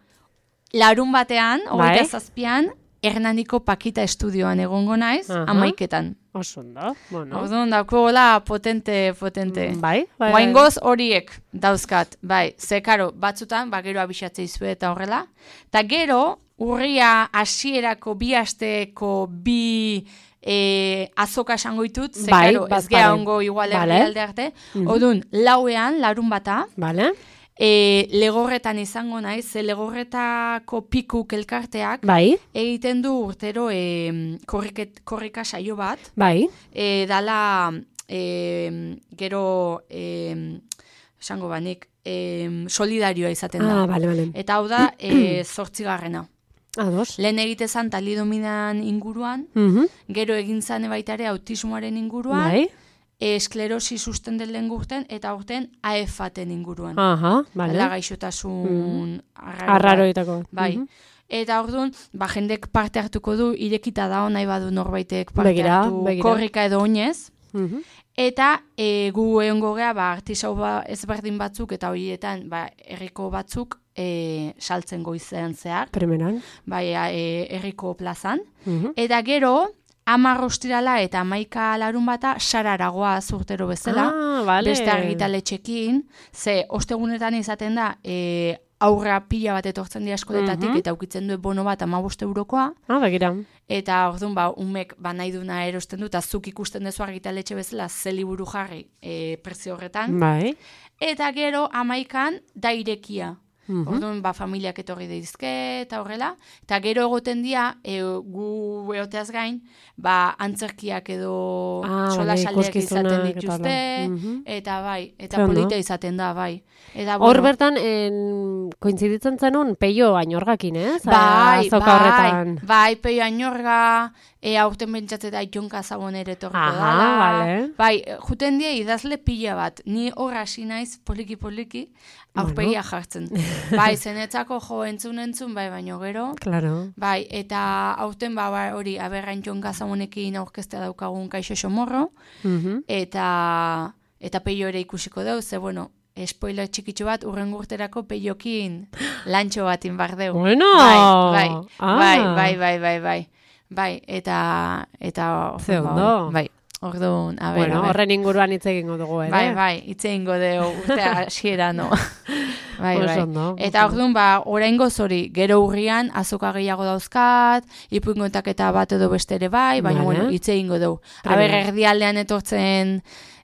larun batean, hogeita Bai. zazpian, Hernaniko Pakita estudioan egongo naiz, Aha. amaiketan. Oso ondo, bueno. Orduan, dakola potente, potente. Bai, bai. Guaingoz horiek dauzkat, bai, ze karo, batzutan, ba, gero abixatzea izue eta horrela. Ta gero, urria hasierako bi asteko bi e, azoka esango ditut, ze Bai, karo, bat ez gea pare. ongo igual Vale. herrialde arte. Orduan, lauean, larun bata, Vale, e, legorretan izango naiz, ze legorretako pikuk elkarteak, bai, egiten du urtero e, korriket, korrika saio bat, bai. e, dala e, gero e, esango banik e, solidarioa izaten da. Ah, bale, bale. Eta hau da e, zortzigarrena. Ados. Lehen egite zan talidominan inguruan, Mhm. gero egin zane baita ere autismoaren inguruan, Bai. e, esklerosi susten den lehen gurten, eta urten A F A-ten inguruan. Aha, bale. Dela gaixotasun arraro bat. Arraroitako. Bai. Mhm. Eta orduan, ba, jendek parte hartuko du, irekita da nahi badu norbaitek parte Begira, hartu begira. korrika edo oinez. Mhm. Eta e, gu egongo gea, ba, artisau ba, ezberdin batzuk eta horietan ba, herriko batzuk e, saltzen goizean zehar, Primeran. bai, e, herriko plazan. Mhm. Eta gero, hamar ostirala eta hamaika larun bata sararagoa zurtero bezala, Ah, bale. beste argitaletxekin, ze ostegunetan izaten da, e, aurra pila bat etortzen dira eskoletatik, Mhm. eta ukitzen du bono bat hamabost eurokoa, Ah, begira. eta orduan ba, umek ba, nahi duna erosten du, eta zuk ikusten dezu argitaletxe bezala ze liburu jarri e, prezio horretan. Bai. Eta gero amaikan da irekia. Mhm. Orduan, ba, familiak etorri deizke eta horrela. Eta gero egoten dira, e, gu eoteaz gain, ba, antzerkiak edo Ah, solasaldiak bale, izaten ikuskizunak eta dituzte, hala. Mhm. eta bai, eta Ze ondo. polita izaten da, bai. Eta, Hor bueno, bertan, en, kointziditzen zenun, peio ainorgakin, ez? bai, Azoka bai, horretan. bai, peio ainorga, e, aurten bentsatzeta itonka zagon ere etorriko Aha, dala. bale. Bai, juten die idazle pila bat, ni hor hasi naiz poliki-poliki, aurpegia jartzen. Bai, zenetzako jo entzun entzun, bai, baino gero. Claro. Bai, eta aurten ba, ba, hori aberrain jonka zagonekin aurkeztea daukagun kaixo xomorro, Mhm. eta eta peio ere ikusiko deu, ze bueno, spoiler txikitxo bat, urren urterako peiokin lantxo bat inbar deu. Bueno! Bai, bai, Ah. bai, bai, bai, bai, bai, bai, eta, eta, Ze ba, ondo. bai, orduan, a ber, Bueno, a ber. horren inguruan hitz egingo dugu, ere? Bai, bai, hitz egingo deu urte hasiera no. Bai, Oso bai. ondo, Eta oso orduan, ba, oraingoz hori, gero urrian azoka gehiago dauzkat, ipuingoetak eta bat edo beste ere bai, baina, Vale. bueno, hitz egingo deu. Premia. Aber, erdialdean etortzen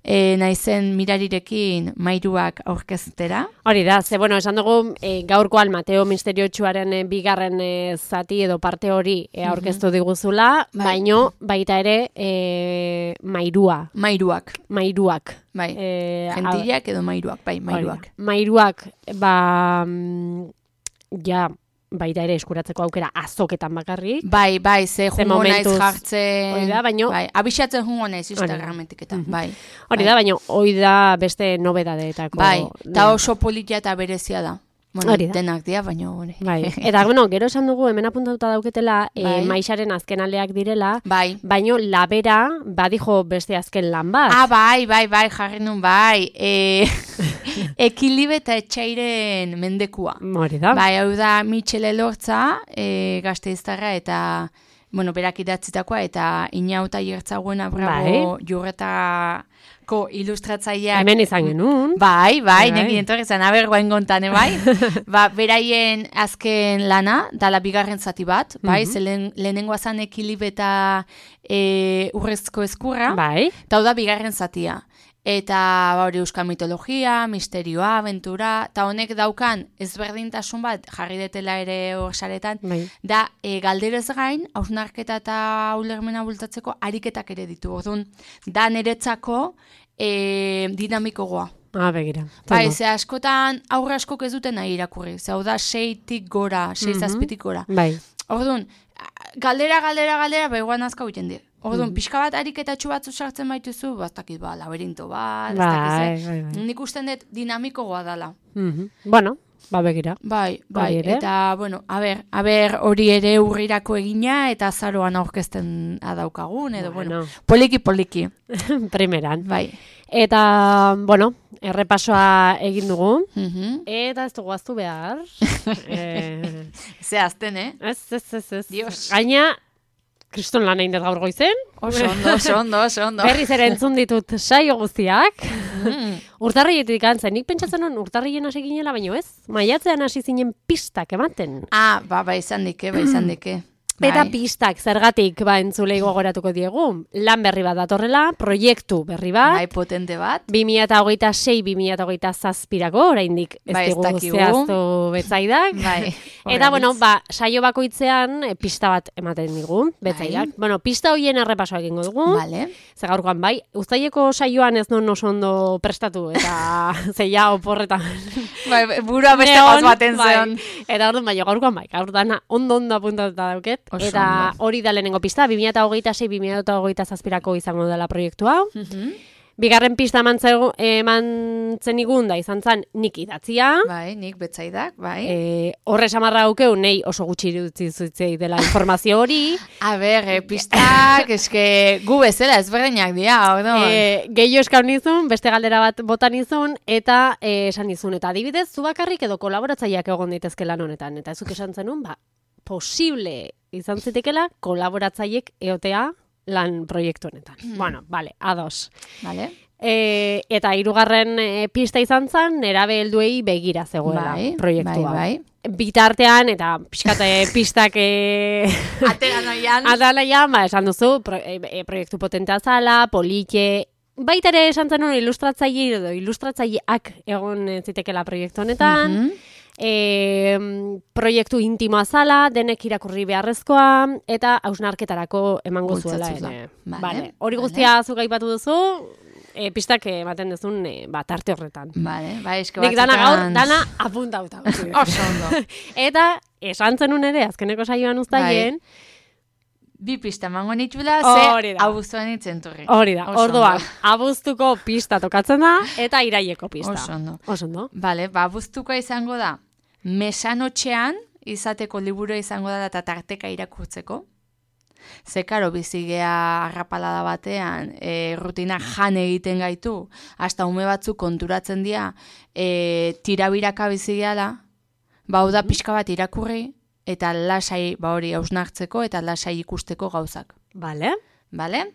e, naizen mirarirekin mairuak aurkeztera. Hori da, ze, bueno, esan dugu e, gaurkoan Mateo Misteriotsuaren e, bigarren e, zati edo parte hori e, aurkeztu diguzula, Bai. baino baita ere e, mairua, Mairuak, mairuak. bai. E, Gentillak edo mairuak, bai, mairuak. Hori da. Mairuak, ba, mm, ja, baita ere eskuratzeko aukera azoketan bakarrik. Bai, bai, ze Ze jungo naiz momentuz, jartzen. hori da, baino- Bai, abixatzen jungo naiz Hori da. Instagrametik eta, bai. Hori da, baina hori da beste nobedadeetako. Bai, eta oso politia eta berezia da. Bueno, Hori da. denak dira, baina hori. Bai, eta bueno, gero esan dugu hemen apuntatuta dauketela e, Bai. maixaren azken aleak direla, Bai. baino labera badijo beste azken lan bat. Ah, bai, bai, bai, jarri nun, bai. E, ekilibe eta etxairen mendekua. Hori da. Bai, hau da Michele Lortza, e, gazteiztarra eta, bueno, berak idatzitakoa, eta inauta jertzagoena bravo jurretako ilustratzaileak. Hemen izan genuen. Bai, bai, Bai. nekin entorri zen, aber guain gontane, bai. Ba, beraien azken lana, dala bigarren zati bat, bai, Mhm. ze lehen, lehenengoa zan ekilibe eta e, urrezko eskurra, Bai. eta hau da bigarren zatia. Eta ba, hori euskal mitologia, misterioa, aventura, eta honek daukan ezberdintasun bat jarri detela ere hor saretan, Bai. da e, galderez gain, hausnarketa eta ulermena bultatzeko ariketak ere ditu. Orduan, da niretzako e, dinamikogoa. Ah, begira. Bai, Ondo. ze askotan aurre askok ez duten nahi irakurri. Ze hau da seitik gora, sei Mhm. zazpitik gora. Bai. Orduan, galdera, galdera, galdera, begoan azka huiten dira. Orduan, Mhm. pixka bat ariketatxu batzu sartzen baituzu, bastakit ba, laberinto bat, ez Bai, dakiz, eh? bai, bai. Nik usten dut dinamikogoa dala. Mhm. Bueno, ba begira. Bai, bai, Hori ere. eta, bueno, a ber, a ber, hori ere urrirako egina, eta azaroan aurkezten adaukagun, edo, bueno, Bueno. poliki, poliki, Primeran. bai. Eta, bueno, errepasoa egin dugu. Mhm. Eta ez dugu aztu behar. e... Ze azten, eh? Ez, ez, ez, ez. Dios. Gaina, kriston lan egin dut gaur goizen. Oso ondo, oso ondo, oso ondo. Berriz ere entzun ditut saio guztiak. Mm. Urtarrietik antzen, nik pentsatzen non urtarrien hasi ginela, baino ez. Maiatzean hasi zinen pistak ematen. Ah, ba, ba, izan dike, ba, izan dike. Eta Bai. pistak, zergatik, ba, entzulei gogoratuko diegu. Lan berri bat datorrela, proiektu berri bat. Bai, potente bat. bi mila hogeita sei bi mila hogeita zazpirako, oraindik ez Bai, ez digu dakigu. zehaztu betzaidak. Bai. Eta, bueno, Horreliz. ba, saio bakoitzean e, pista bat ematen digu, betzaidak. Bueno, pista hoien errepasoa egingo dugu. Vale. Ze gaurkoan, bai, uztaileko saioan ez non oso ondo prestatu, eta zeia oporretan. Bai, burua beste Neon, gauz baten bai. zeon. Eta orduan, bai, gaurkoan, bai, gaur dana ondo-ondo apuntatuta dauket. Oso Eta ondo. hori da lehenengo pista, bi mila hogeita sei bi mila hogeita zazpirako izango dela proiektu hau. Mhm. Bigarren pista emantzegu- emantzen igun da izan zen nik idatzia. Bai, nik betzaidak, bai. E, horre samarra haukeu, nei oso gutxi irutzi zutzei dela informazio hori. A ber, eh, pistak, eske gu bezala ezberdinak dira, orduan. E, Gehiago eskaun nizun, beste galdera bat botan nizun, eta e, esan nizun. Eta adibidez, zu bakarrik edo kolaboratzaileak egon daitezke lan honetan. Eta ezuk esan zenun, ba, posible izan zitekela kolaboratzaileek eotea lan proiektu honetan. Bueno, vale, ados. Vale. E, eta hirugarren e, pista izan zen, nerabe helduei begira zegoela Bai, proiektua. bai, Bitartean, eta pixkate pistak e, Atera noian. adalaian, ba, esan duzu, pro, e, e, proiektu potentea zala, polike, baita ere esan zen ilustratzaile edo ilustratzaileak egon eh, zitekela proiektu honetan, Mhm. e, proiektu intimoa zala, denek irakurri beharrezkoa, eta hausnarketarako emango zuela Bultzatuz da. ere. Vale, Vale. Hori vale. guztia zuk aipatu duzu, e, pistak ematen duzun e, ba, tarte horretan. Vale, bai, eske Nik dana gaur, batzutan- dana apuntauta. utzi dut. Oso ondo. Eta esan zenun ere, azkeneko saioan uztaien, Bi pista emango nitula, Hori ze da. abuztuan itzenturri. hori da, Oso orduan, ondo. abuztuko pista tokatzen da, eta iraieko pista. Oso ondo. Oso ondo. Vale, ba, abuztuko izango da, mesanotxean izateko liburua izango da eta tarteka irakurtzeko. Ze, karo, bizigea arrapalada batean, e, rutina jan egiten gaitu, hasta ume batzuk konturatzen dira, e, tirabiraka bizigeala, ba, hau da pixka bat irakurri, eta lasai, ba hori, hausnartzeko eta lasai ikusteko gauzak. Vale. Bale?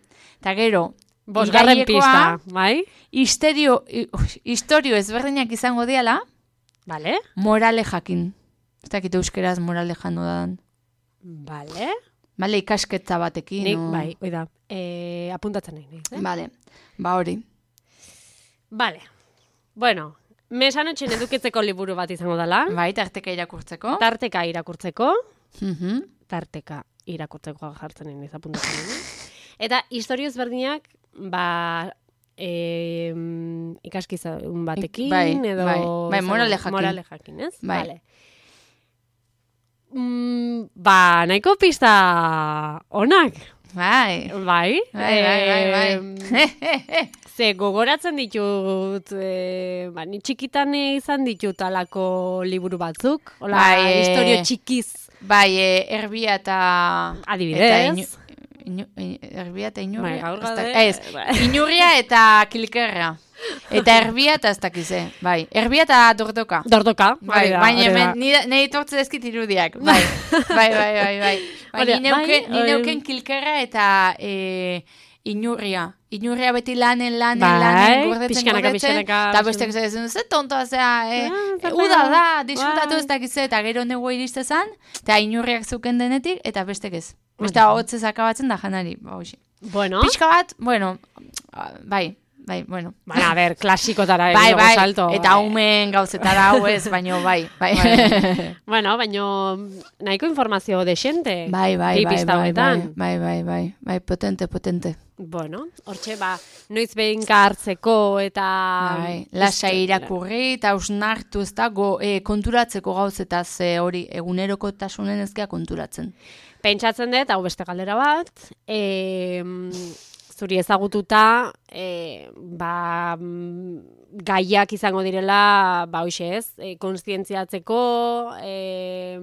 Eta gero, Bosgarren iraiekoa, pista, bai? Histerio, i- ui, historio ezberdinak izango diala, Vale. morale jakin. Ez dakit euskeraz morale jano dan. Vale. Bale, ikasketza batekin. Nik, o- bai, oida, e, apuntatzen nahi naiz, eh? Bale, ba hori. Vale. Bueno, mesanotxen edukitzeko liburu bat izango dela, Bai, tarteka irakurtzeko. tarteka irakurtzeko, Mhm. tarteka irakurtzeko jartzen nahi naiz apuntatzen nahi naiz. Eta historio ezberdinak, ba, e, ikaskizun batekin, Bai, edo... bai, bai, morale jakin. Morale jakin, ez? Bai. Vale. Mm, ba, nahiko pista onak. Bai. Bai. Bai, bai, bai, bai. Em, Ze gogoratzen ditut, e, ba, ni txikitan izan ditut alako liburu batzuk. Hola, Bai, e- historio txikiz Bai, e, erbia eta... adibidez. Eta inu, inu, inu, erbia eta inurria. Bai, gaur ez da- gaude, Ez, bai. inurria eta kilkerra. Eta erbia eta ez dakize. Bai, erbia eta dordoka. Dordoka. Bai, hori da, baina hori da. hemen nire ni tortze dezkit irudiak. Bai, bai, bai, bai, bai. Bai, Hori da, ni neuke, bai, ni hori- neuken kilkerra eta e, inurria. Inurria beti lanen, lanen, Bai, lanen, gordetzen, pixkanaka, gordetzen. pixkanaka, Eta bestek zezen, ze tontoa zea, e, Ah, zer uda pena. da, disfrutatu Bai. ez dakize, eta gero nego iriste zan, eta inurriak zuken denetik, eta bestek ez. Beste Hori da. hotzez akabatzen da janari, ba, hoxe. Bueno, Pixka bat, bueno, bai, bai, bueno. baina, a ber, klasikotara Bai, egin bai, salto. eta umen gauzetara hau ez, baino bai, bai. Bai. Bueno, baino nahiko informazio desente. Bai, bai, bi bai, pista bai, bai, honetan. bai, bai, bai, bai, potente, potente. Bueno, hortxe, ba, noiz behinka hartzeko eta... Bai, lasai irakurri eta hausnartu ez da, go, e, konturatzeko gauzetaz e, hori eguneroko tasunen ezkea konturatzen. Pentsatzen dut, hau beste galdera bat, e, zuri ezagututa, e, ba, mm, gaiak izango direla, ba, hoxe ez, e, konstientziatzeko, e,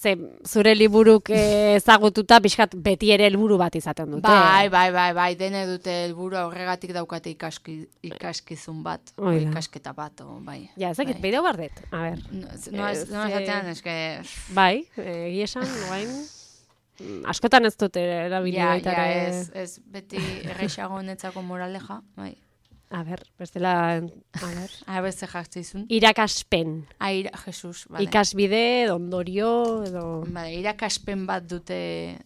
ze zure liburuk eh, ezagututa pixkat beti ere helburu bat izaten dute. Bai, bai, bai, bai, dene dute helburu horregatik daukate ikaski, ikaskizun bat, o Oida. ikasketa bat, o, bai. Ja, ezakit, bai. bideo bardet. A ber. No, no, ez, no Eh, esatean, eske... Bai, egia esan, guain, mm, askotan ez dute erabili Ja, baita ja, ere. ez, ez, beti errexago netzako moraleja, bai. A ber, bestela, a ber. Ah, beste jartzeizun. Irakaspen. Ah, ira, Jesus, vale. Ikasbide, edo ondorio, edo... Vale, irakaspen bat dute...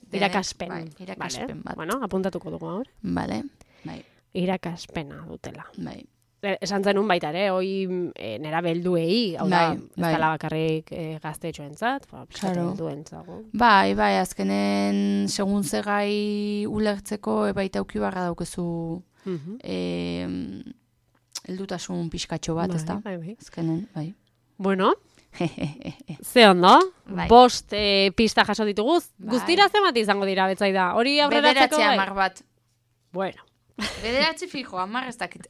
denek, Irakaspen. Bai, irakaspen Vale. bat. Bueno, apuntatuko dugu hor. Vale, bai, Irakaspena dutela. bai. E, Esan zenun baita ere, hoi e, nera belduei, hau da, Bai, ez bai. dela bakarrik e, gaztetxoentzat, ba, pixkat Claro. helduentzago. Bai, bai, azkenen segun ze gai ulertzeko e, baita auki barra daukezu Mhm. e, heldutasun pixkatxo bat, Bai, ez da? bai, bai. Azkenen, bai. Bueno, ze ondo, Bai. bost e, pista jaso ditugu, Bai. guztira zenbat izango dira, betzaida, hori aurreratzeko Bederatzi bai? hamar bat. Bueno, Bederatzi fijo, hamar ez dakit.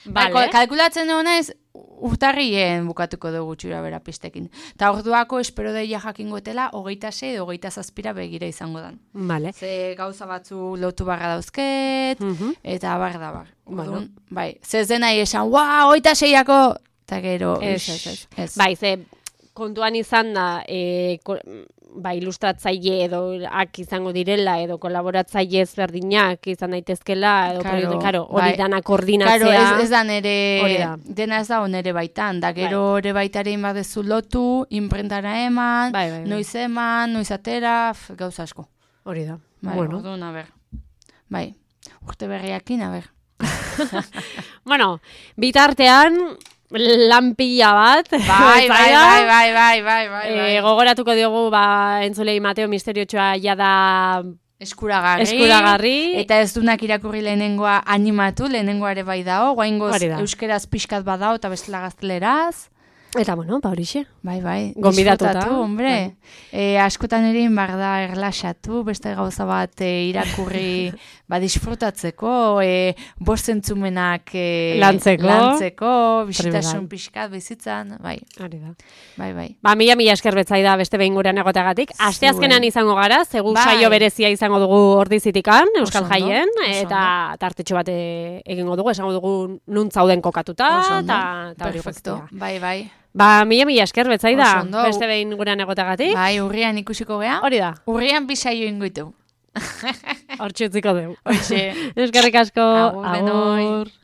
vale. Bai, kalkulatzen dugu naiz, urtarrien bukatuko dugu txura bera pistekin. Ta orduako espero deia jakingotela, hogeita sei edo hogeita zazpira begira izango dan. Vale. Ze gauza batzu lotu barra dauzket, Mhm. eta bar da bar. Bueno. Orduan, bai, ze ez denai esan, ua, hogeita seiako, eta gero, Ez, ix, ez, ez. ez. Bai, ze kontuan izan da, e, ko, bai, ilustratzaile edo ak izango direla, edo kolaboratzaile ezberdinak izan daitezkela, edo Claro, proiektu, karo, hori bai. dana koordinatzea. Claro, ez, ez da Hori nere, da. dena ez da onere baitan, da gero ere baitare inbadezu lotu, imprentara eman, Bai, bai, bai. noiz eman, noiz atera, f, gauza asko. Hori da. Bai, Bueno. orduan, a ber. Bai, urte berriakin, a ber. Bueno, bitartean, lan pila bat. Bai, bai, betzaida. bai, bai, bai, bai, bai, Eh, bai. gogoratuko diogu, ba, entzulei Mateo Misteriotxoa jada Eskuragarri. eskuragarri. Eta ez dunak irakurri lehenengoa animatu, lehenengoa ere bai dao, guaingoz Hori da. euskeraz pixkat badao eta bestela gazteleraz. Eta, bueno, ba, horixe. Bai, bai. Gonbidatuta. Disfrutatu, hombre. E, askotan ere inbar da erlaxatu, beste gauza bat e, irakurri ba, disfrutatzeko, e, bost zentzumenak e, Lantzeko. lantzeko, Hori bisitasun da. pixkat bizitzan, bai, Hori da. bai, bai. Ba, mila mila esker betzaida beste behin gurean egoteagatik. Aste Zuen. azkenan izango gara, zegu Bai. saio berezia izango dugu ordizitikan, Euskal Oso ondo, Jaien, oso eta tartetxo bat e, egingo dugu, esango dugu nun zauden kokatuta, Oso ondo. eta eta hori Perfecto, guztia. bai, bai. Ba, mila mila esker betzaida, Oso ondo. beste behin gurean egoteagatik. Bai, urrian ikusiko gea. Hori da, Urrian bisaio ingoitu. hortxe utziko dugu. Hoxe. Eskerrik asko, Agur denoi. agur.